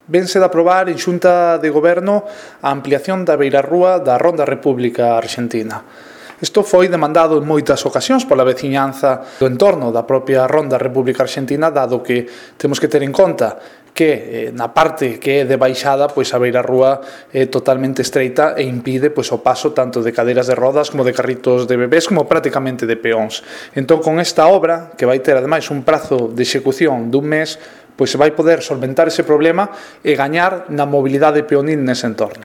Vense de aprobar en Xunta de Goberno a ampliación da beirarrúa da Ronda República Arxentina. Isto foi demandado en moitas ocasións pola veciñanza do entorno da propia Ronda República Arxentina, dado que temos que ter en conta que na parte que é de baixada, pois a beirarrúa é totalmente estreita e impide pois o paso tanto de cadeiras de rodas como de carritos de bebés como prácticamente de peóns. Entón, con esta obra, que vai ter ademais un prazo de execución dun mes, pois se vai poder solventar ese problema e gañar na mobilidade peonil nese entorno.